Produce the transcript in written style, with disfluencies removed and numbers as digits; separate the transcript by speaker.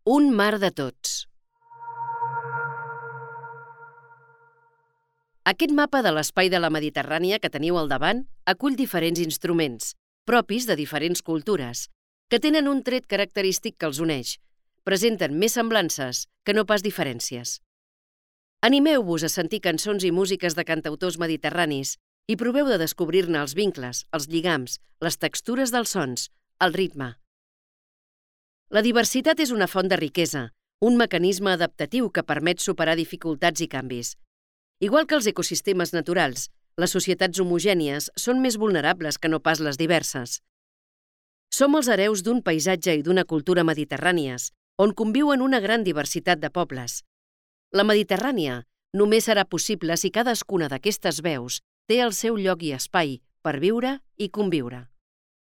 Speaker 1: Un mar de tots. Aquest mapa de l'espai de la Mediterrània que teniu al davant acull diferents instruments, propis de diferents cultures, que tenen un tret característic que els uneix. Presenten més semblances que no pas diferències. Animeu-vos a sentir cançons i músiques de cantautors mediterranis i proveu de descobrir-ne els vincles, els lligams, les textures dels sons, el ritme. La diversitat és una font de riquesa, un mecanisme adaptatiu que permet superar dificultats i canvis. Igual que els ecosistemes naturals, les societats homogènies són més vulnerables que no pas les diverses. Som els hereus d'un paisatge i d'una cultura mediterrànies, on conviuen una gran diversitat de pobles. La Mediterrània només serà possible si cadascuna d'aquestes veus té el seu lloc i espai per viure i conviure.